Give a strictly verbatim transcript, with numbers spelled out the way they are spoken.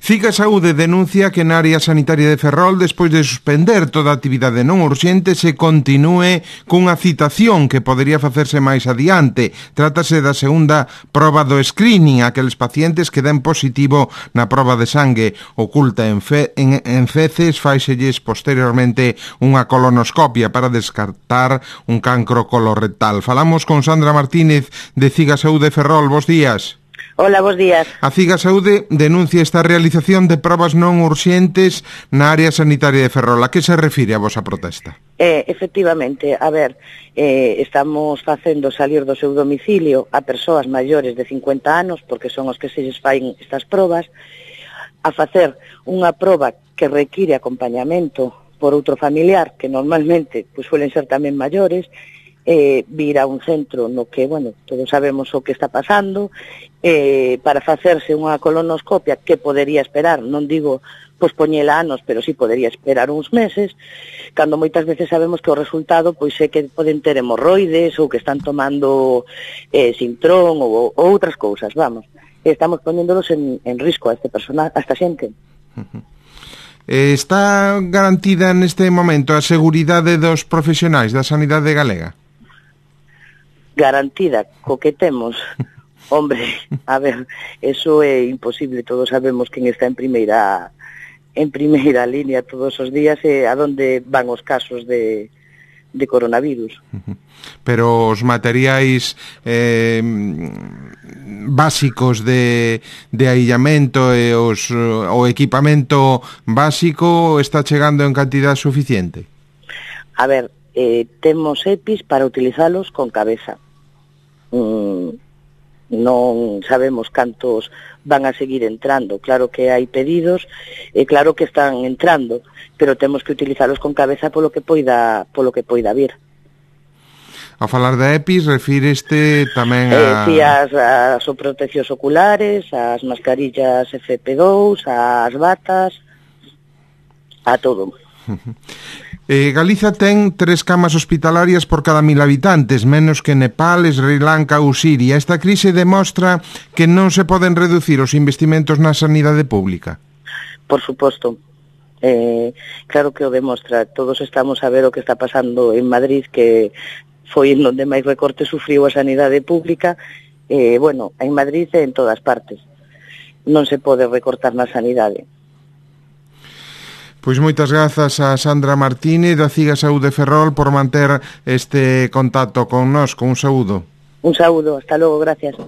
Ciga Saúde denuncia que na área sanitaria de Ferrol, despois de suspender toda a actividade non urxente, se continúe cunha citación que podería facerse máis adiante. Trátase da segunda proba do screening, aqueles pacientes que den positivo na proba de sangue oculta en, fe, en, en feces, faiselles posteriormente unha colonoscopia para descartar un cancro colorectal. Falamos con Sandra Martínez de Ciga Saúde Ferrol. Bos días. Hola, bos días. A Ciga Saúde denuncia esta realización de probas non urxentes na área sanitaria de Ferrol. A que se refire a vosa protesta? Eh, efectivamente, a ver, eh, estamos facendo salir do seu domicilio a persoas maiores de cincuenta anos, porque son os que se lles fain estas probas, a facer unha proba que require acompañamento por outro familiar, que normalmente pues, suelen ser tamén maiores, eh, vir a un centro no que, bueno, todos sabemos o que está pasando, eh, para facerse unha colonoscopia que podería esperar, non digo pospoñela anos, pero sí podería esperar uns meses, cando moitas veces sabemos que o resultado pois é que poden ter hemorroides ou que están tomando eh, sintrón ou, ou outras cousas, vamos. Estamos poñéndolos en, en risco a este personal, a esta xente. Uh-huh. Está garantida neste momento a seguridade dos profesionais da sanidade galega? Garantida, co que temos, hombre, a ver, eso é imposible, todos sabemos quen está en primeira en primeira línea todos os días e a donde van os casos de, de coronavirus. Pero os materiais eh, básicos de, de aillamento e os, o equipamento básico está chegando en cantidad suficiente? A ver, eh, temos EPIs para utilizalos con cabeza. Mm, non sabemos cantos van a seguir entrando, claro que hai pedidos e claro que están entrando, pero temos que utilizalos con cabeza polo que poida, polo que poida vir. Ao falar da EPIs, refíreste tamén a... Eh, sí, as, as proteccións oculares, as mascarillas F P dous, as batas, a todo. Eh, Galiza ten tres camas hospitalarias por cada mil habitantes, menos que Nepal, Sri Lanka ou Siria. Esta crise demostra que non se poden reducir os investimentos na sanidade pública. Por suposto. Eh, claro que o demostra. Todos estamos a ver o que está pasando en Madrid, que foi en onde máis recorte sufriu a sanidade pública. Eh, bueno, en Madrid e en todas partes. Non se pode recortar na sanidade. Pois moitas grazas a Sandra Martínez da Ciga Saúde Ferrol por manter este contacto con nós, con un saúdo. Un saúdo, hasta logo, gracias.